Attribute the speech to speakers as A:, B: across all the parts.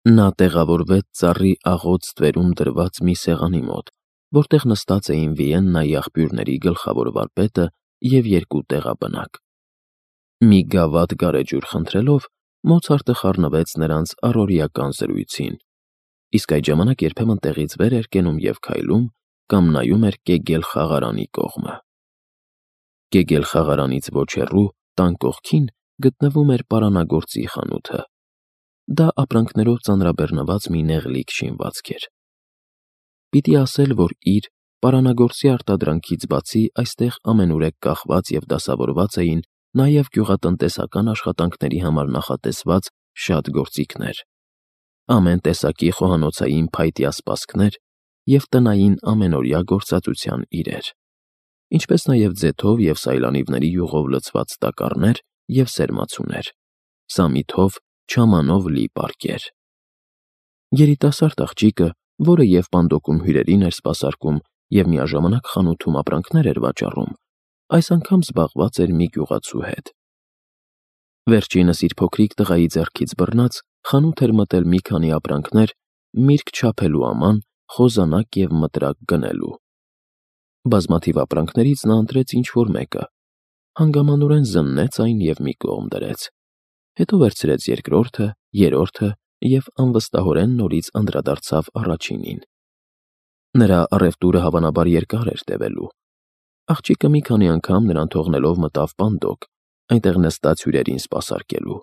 A: Նա տեղավորվեց ծառի աղոտ ստվերում դրված մի սեղանի մոտ, որտեղ նստած էին Վիեննայի աղբյուրների գլխավոր վարպետը և երկու տեղաբնակ։ Մի գավաթ գարեջուր խնդրելով, Մոցարտը խառնվեց նրանց առօրեական զրույցին, իսկ այդ ժամանակ երբեմն տեղից վեր էր կենում և քայլում կամ նայում էր Կեգել խաղարանի կողմը։ Կեգել խաղարանից ոչ հեռու, տան կողքին, գտնվում էր պարանագործի խանութը։ Դա ապրանքներով ծանրաբեռնված մի նեղլիկ շինվածք էր։ Պիտի ասել, որ իր պարանագործի արտադրանքից բացի այստեղ ամենուրեք կախված և դասավորված էին նաև գյուղատնտեսական աշխատանքների համար նախատեսված շատ գործիքներ, ամեն տեսակի խոհանոցային փայտյա սպասքներ և տնային ամենօրյա գործածության իրեր, ինչպես նաև ձեթով և սայլանիվների յուղով լցված տակառներ և սերմացուներ, սամիթով, չամանով լի պարկեր։ Երիտասարդ աղջիկը, որը և պանդոկում հյուրերին էր սպասարկում և միաժամանակ խանութում ապրանքներ էր վաճառում, այս անգամ զբաղված էր մի գյուղացու հետ։ Վերջինս իր փոքրիկ տղայի ձեռքից բռնած, խանութ էր մտել մի քանի ապրանքներ, միրգ չափելու աման, խոզանակ և մտրակ գնելու։ Բազմաթիվ ապրանքներից նա ընտրեց ինչ-որ մեկը, հանգամանորեն զննեց այն և մի կողմ դրեց, հետո վերցրեց երկրորդը, երրորդը և անվստահորեն նորից անդրադարձավ առաջինին։ Նրա առևտուրը հավանաբար երկար էր տևելու։ Աղջիկը մի քանի անգամ նրան թողնելով մտավ պանդոկ, այնտեղ նստած հյուրերին սպասարկելու,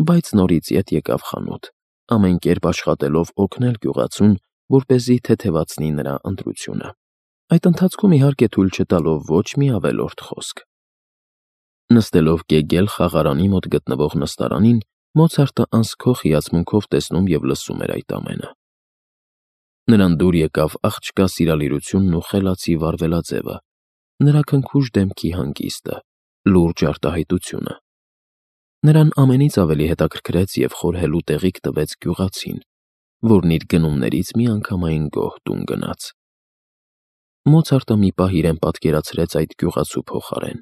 A: բայց նորից ետ եկավ խանութ, ամեն կերպ աշխատելով օգնել գյուղացուն, որպեսզի թեթևացնի նրա ընտրությունը, այդ ընթացքում իհարկե թույլ չտալով ոչ մի ավելորդ խոսք։ Նստելով Կեգել խաղարանի մոտ գտնվող նստարանին, Մոցարտը անսքող հիացմունքով տեսնում և լսում էր այդ ամենը։ Նրան դուր եկավ աղջկա սիրալիրությունն ու խելացի վարվելաձևը, նրա քնքուշ դեմքի հանգիստը, լուրջ արտահայտությունը։ Նրան ամենից ավելի հետաքրքրեց և խորհելու տեղիք տվեց գյուղացին, որն իր գնումներից միանգամայն գոհ տուն գնաց։ Մոցարտը մի պահ իրեն պատկերացրեց այդ գյուղացու փոխարեն,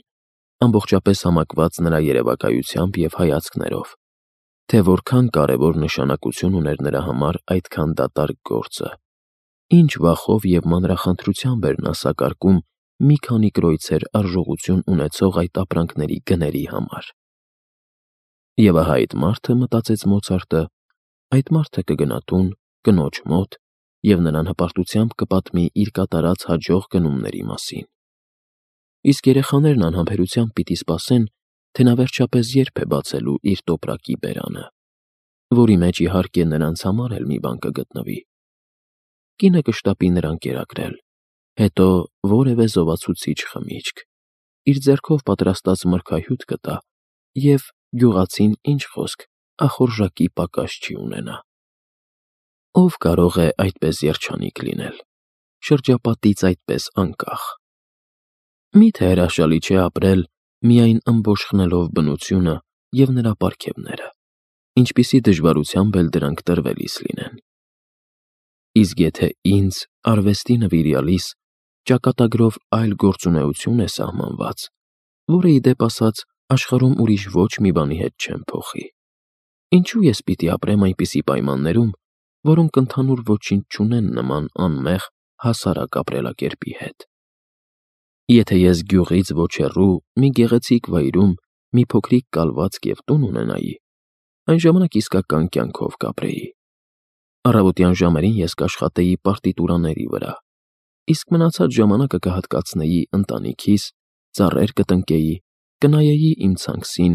A: ամբողջապես համակված նրա երևակայությամբ և հայացքներով, թե որքան կարևոր նշանակություն ուներ նրա համար այդքան դատարկ գործը, ինչ վախով և մանրախնդրությամբ էր նա սակարկում մի քանի կրոյցեր արժողություն ունեցող այդ ապրանքների գների համար։ Եվ ահա այդ մարդը, մտածեց Մոցարտը, այդ մարդը կգնա տուն, կնոջ մոտ և նրան հպարտությամբ կպատմի իր կատարած հաջող գնումների մասին։ Իսկ երեխաներն անհամբերությամբ պիտի սպասեն, թե նա վերջապես երբ է բացելու իր տոպրակի բերանը, որի մեջ իհարկե նրանց համար էլ մի բան կգտնվի։ Կինը կշտապի նրան կերակրել, հետո որևէ զովացուցիչ խմիչք, իր ձեռքով պատրաստած մրգահյութ կտա և գյուղացին, ինչ խոսք, ախորժակի պակաս չի ունենա։ Ով կարող է այդպես երջանիկ լինել, շրջապատից այդպես անկախ։ Մի՞թե հրաշալի չէ ապրել, միայն ըմբոշխնելով բնությունը և նրա պարգևները, ինչպիսի դժվարությամբ էլ դրանք տրվելիս լինեն։ Իսկ եթե ինձ, արվեստի նվիրյալիս, ճակատագրով այլ գործունեություն է սահմանված, որը ի դեպ ասած աշխարհում ուրիշ ոչ մի բանի հետ չեմ փոխի, ինչու ես պիտի ապրեմ այնպիսի պայմաններում, որոնք ընդհանուր ոչինչ չունեն նման անմեղ, հասարակ ապրելակերպի հետ։ Եթե ես գյուղից ոչ հեռու մի գեղեցիկ վայրում մի փոքրիկ կալվածք և տուն ունենայի, այն ժամանակ իսկական կյանքով կապրեի։ Առավոտյան ժամերին ես կաշխատեի պարտիտուրաների վրա, իսկ մնացած ժամանակը կհատկացնեի ընտանիքիս, ծառեր կտնկեի, կնայեի իմ ցանքսին,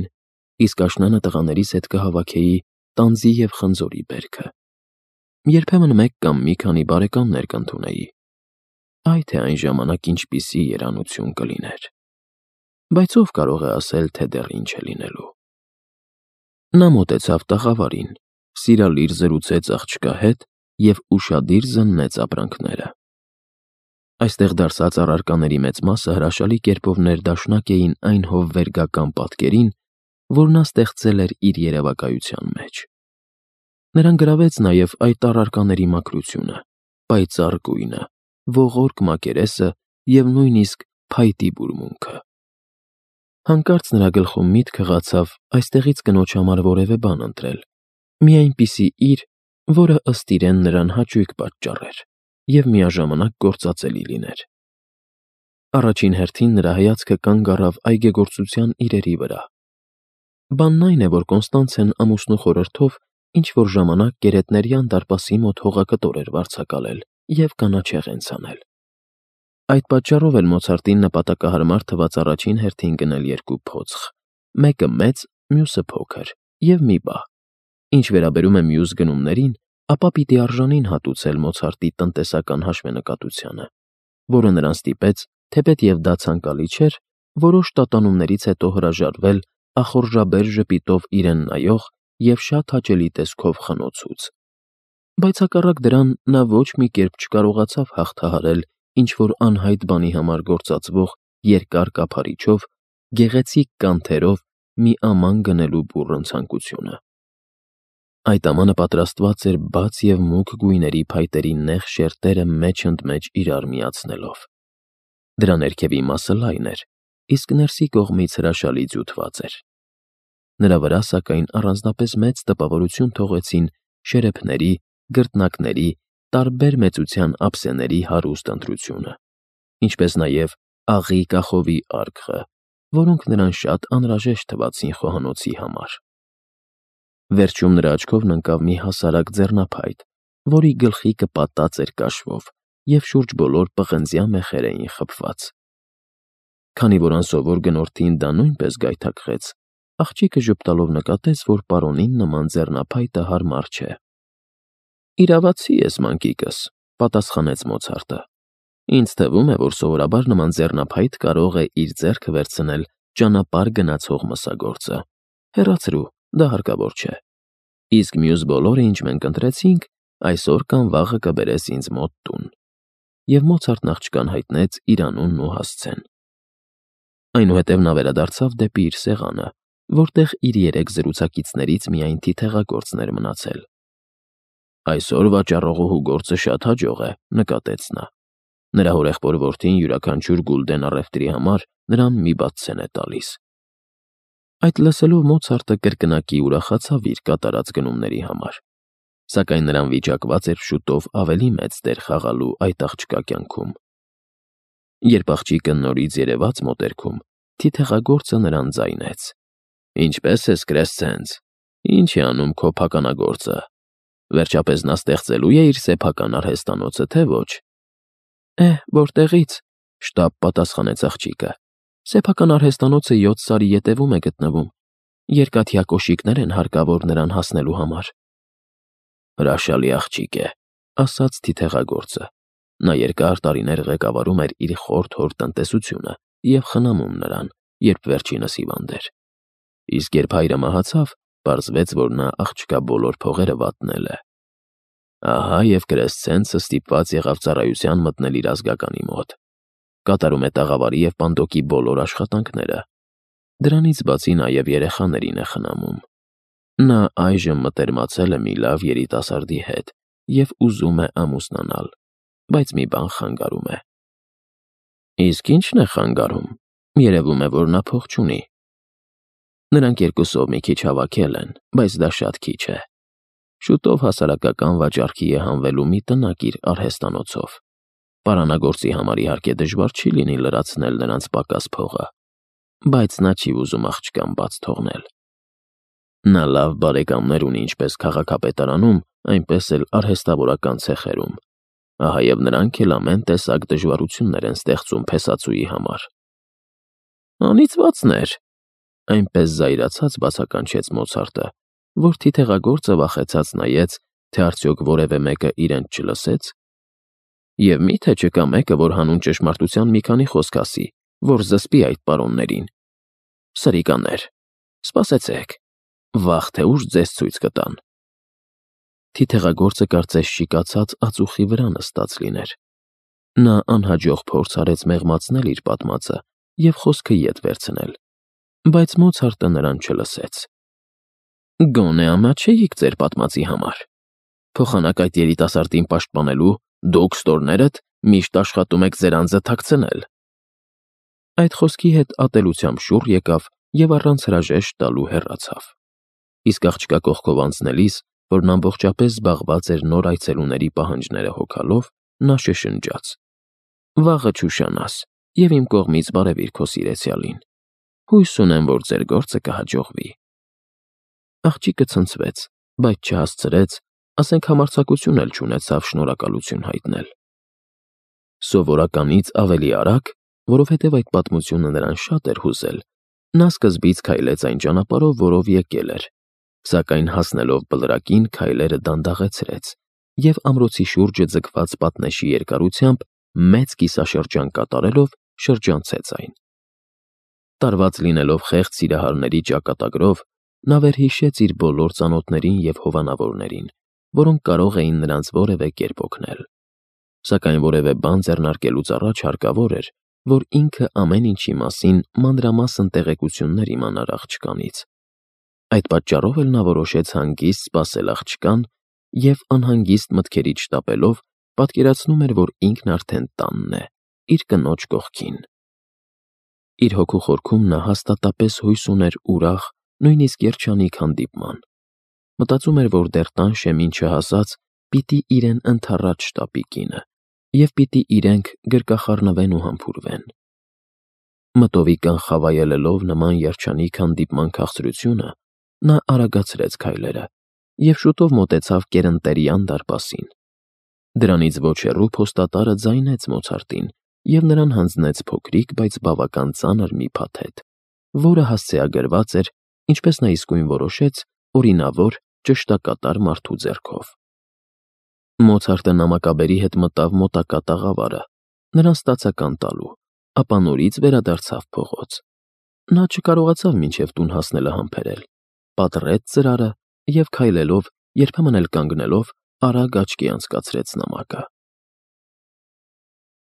A: իսկ աշնանը տղաներիս հետ կհավաքեի տանձի և խնձորի բերքը։ Երբեմն մեկ կամ մի քանի բարեկամներ կընդունեի։ Այ թե այն ժամանակ ինչպիսի երանություն կլիներ։ Բայց ով կարող է ասել, թե դեռ ինչ է լինելու։ Նա մոտեցավ տաղավարին, սիրալիր զրուցեց աղջկա հետ և ուշադիր զննեց ապրանքները։ Այստեղ դարսած առարկաների մեծ մասը հրաշալի կերպով ներդաշնակ էին այն հովվերգական պատկերին, որ նա ստեղծել էր իր երևակայության մեջ։ Նրան գրավեց նաև այդ առարկաների մաքրությունը, պայծառ գույնը, ողորկ մակերեսը և նույնիսկ փայտի բուրմունքը։ Հանկարծ նրա գլխում միտք հղացավ այստեղից կնոջ համար որևէ բան ընտրել, մի այնպիսի իր, որը ըստ իրեն նրան հաճույք պատճառեր և միաժամանակ գործածելի լիներ։ Առաջին հերթին նրա հայացքը կանգ առավ այգեգործության իրերի վրա։ Բանն այն է, որ Կոնստանցեն ամուսնու խորհրդով ինչ-որ ժամանակ Գերետներյան դարպասի մոտ հողակտոր էր վարձակալել և կանաչեղեն ցանել։ Այդ պատճառով էլ Մոցարտին նպատակահարմար թվաց առաջին հերթին գնել երկու փոცხ, մեկը մեծ, մյուսը փոքր, և մի բահ։ Ինչ վերաբերում է մյուս գնումներին, ապա պիտի արժանին հատուցել Մոցարտի տնտեսական հաշվենկատությանը, որը նրան ստիպեց, թեպետև դա ցանկալի չէր, որոշ տատանումներից հետո հրաժարվել ախորժաբեր ժպիտով իրեն նայող և շատ հաճելի տեսքով խնոցուց։ Բայց հակառակ դրան նա ոչ մի կերպ չկարողացավ հաղթահարել ինչ-որ անհայտ բանի համար գործածվող երկար կափարիչով, գեղեցիկ կանթերով մի աման գնելու բուռն ցանկությունը։ Այդ ամանը պատրաստված էր բաց և մուգ գույների փայտերի նեղ շերտերը մեջ ընդ մեջ իրար միացնելով։ Դրա ներքևի մասը լայն էր, իսկ ներսի կողմից հրաշալի ձյուտված էր։ Նրա վրա, սակայն, առանձնապես մեծ տպավորություն թողեցին շերեփների, գրտնակների, տարբեր մեծության ափսեների հարուստ ընտրությունը, ինչպես նաև աղի կախովի արկղը, որոնք նրան շատ անհրաժեշտ թվացին խոհանոցի համար։ Վերջում նրա աչքովն ընկավ մի հասարակ ձեռնափայտ, որի գլխիկը պատած էր կաշվով և շուրջ բոլոր պղնձյա մեխեր էին խփված։ Քանի որ անսովոր գնորդին դա նույնպես գայթակղեց, աղջիկը ժպտալով նկատեց, որ պարոնին նման ձեռնափայտը հարմար չէ։ «Իրավացի ես, մանկիկս», պատասխանեց Մոցարտը։ «Ինձ թվում է, որ սովորաբար նման ձեռնափայտ կարող է իր ձեռքը վերցնել ճանապարհ գնացող մսագործը։ Հեռացրու, դա հարկավոր չէ։ Իսկ մյուս բոլորը, ինչ մենք ընտրեցինք, այսօր կամ վաղը կբերես ինձ մոտ տուն»։ Եվ Մոցարտն աղջկան հայտնեց իր անունն ու հասցեն։ Այնուհետև նա վերադարձավ դեպի իր սեղանը, որտեղ իր երեք զրուցակիցներից միայն թիթեղագործն էր մնացել։ «Այսօր վաճառողուհու գործը շատ հաջող է», նկատեց նա։ Նրա հորեղբոր որդին յուրաքանչյուր գուլդեն առևտրի համար նրան մի բաթսեն է տալիս։ Այդ լսելով Մոցարտը կրկնակի ուրախացավ իր կատարած գնումների համար, սակայն նրան վիճակված էր շուտով ավելի մեծ դեր խաղալու այդ աղջկա կյանքում։ Երբ աղջիկը նորից երևաց մոտերքում, թիթեղագործը նրան ձայնեց. «Ինչպե՞ս ես, Կրեսցենց, ինչ է անում քո փականագործը։ Վերջապես նա ստեղծելու է իր սեփական արհեստանոցը, թե ոչ»։ Որտեղի՞ց, շտապ պատասխանեց աղջիկը։ Սեփական արհեստանոցը 7 սարի ետևում է գտնվում։ Երկաթյա կոշիկներ են հարկավոր նրան հասնելու համար։ Հրաշալի աղջիկ է, ասաց թիթեղագործը։ Նա երկար տարիներ ղեկավարում էր իր խորթ հոր տնտեսությունը և խնամում նրան, երբ վերջինս հիվանդ էր։ Իսկ երբ հայրը մահացավ, պարզվեց, որ նա աղջկա բոլոր փողերը վատնել է։ Ահա և Կրեսցենցը ստիպված եղավ ծառայության մտնել իր ազգականի մոտ։ Կատարում է տաղավարի և պանդոկի բոլոր աշխատանքները։ Դրանից բացի նաև երեխաներին է խնամում։ Նա այժմ մտերմացել է մի լավ երիտասարդի հետ և ուզում է ամուսնանալ, բայց մի բան խանգարում է։ Իսկ ի՞նչն է խանգարում։ Երևում է, որ նա փող չունի։ Նրանք երկուսով մի քիչ հավաքել են, բայց դա շատ քիչ է։ Շուտով հասարակական վաճառքի է հանվելու մի տնակ իր արհեստանոցով։ Պարանագործի համար իհարկե դժվար չի լինի լրացնել նրանց պակաս փողը, բայց նա չի ուզում աղջկան բաց թողնել։ Նա լավ բարեկամներ ունի ինչպես քաղաքապետարանում, այնպես էլ արհեստավորական ցեխերում։ Ահա և նրանք էլ ամեն տեսակ դժվարություններ են ստեղծում փեսացուի համար։ Անիծվածներ, այնպես զայրացած բացականչեց Մոցարտը, որ թիթեղագործը վախեցած նայեց, թե արդյոք որևէ մեկը իրեն չլսեց։ Եվ մի՞թե չկա մեկը, որ հանուն ճշմարտության մի քանի խոսք ասի, որ զսպի այդ պարոններին։ Սրիկաներ, սպասեցեք, վաղ թե ուշ ձեզ ցույց կտան։ Թիթեղագործը կարծես շիկացած ածուխի վրա նստած լիներ։ Նա անհաջող փորձ արեց մեղմացնել իր պատմածը և խոսքը ետ վերցնել, բայց Մոցարտը նրան չլսեց։ Գոնե ամաչեիք ձեր պատմածի համար։ Փոխանակ այդ երիտասարդին պաշտպանելու դուք ստորներդ միշտ աշխատում եք ձեր անձը թաքցնել։ Այդ խոսքի հետ ատելությամբ շուռ եկավ և առանց հրաժեշտ տալու հեռացավ։ Իսկ աղջկա կողքով անցնելիս որն ամբողջապես զբաղված էր նոր այցելուների պահանջները հոգալով, նա շշնջաց. «Վաղը չուշանաս, և իմ կողմից բարևիր քո սիրեցյալին։ Հույս ունեմ, որ ձեր գործը կհաջողվի»։ Աղջիկը ցնցվեց, բայց չհասցրեց, ասենք համարձակություն էլ չունեցավ շնորհակալություն հայտնել։ Սովորականից ավելի արագ, որովհետև այդ պատմությունը նրան շատ էր հուզել, նա սկզբից քայլեց այն ճանապարհով, որով եկել էր, սակայն հասնելով բլրակին քայլերը դանդաղեցրեց և ամրոցի շուրջը ձգված պատնեշի երկարությամբ մեծ կիսաշրջան կատարելով շրջանցեց այն։ Տարված լինելով խեղճ սիրահարների ճակատագրով, նա վերհիշեց իր բոլոր ծանոթներին և հովանավորներին, որոնք կարող էին նրանց որևէ կերպ օգնել։ Սակայն որևէ բան ձեռնարկելուց առաջ հարկավոր էր, որ ինքը ամեն ինչի մասին մանրամասն տեղեկություններ իմանար աղջկանից։ Այդ պատճառով էլ նա որոշեց հանգիստ սպասել աղջկան և անհանգիստ մտքերի շտապելով պատկերացնում էր, որ ինքն արդեն տանն է, իր կնոջ կողքին։ Իր հոգու խորքում նա հաստատապես հույս ուներ ուրախ, նույնիսկ երջանիկ հանդիպման։ Մտածում էր, որ դեռ տան շեմին չհասած պիտի իրեն ընդառաջ շտապի կինը, և պիտի իրենք գրկախառնվեն ու համբուրվեն։ Մտովիկան խավայելելով նման երջանիկ հանդիպման քաղցրությունը, նա արագացրեց քայլերը և շուտով մոտեցավ կերընտերյան դարպասին։ Դրանից ոչ հեռու փոստատարը ձայնեց Մոցարտին և նրան հանձնեց փոքրիկ, բայց բավական ծանր մի փաթեթ, որը հասցեագրված էր, ինչպես նա իսկույն որոշեց, օրինավոր, ճշտակատար մարդու ձեռքով։ Մոցարտը նամակաբերի հետ մտավ մոտակա տաղավարը, նրան ստացական տալու, ապա նորից վերադարձավ փողոց։ Նա չկարողացավ մինչև տուն հասնելը համբերել, պատռեց ծրարը և քայլելով, երբեմն էլ կանգնելով, արագ աչքի անցկացրեց նամակը։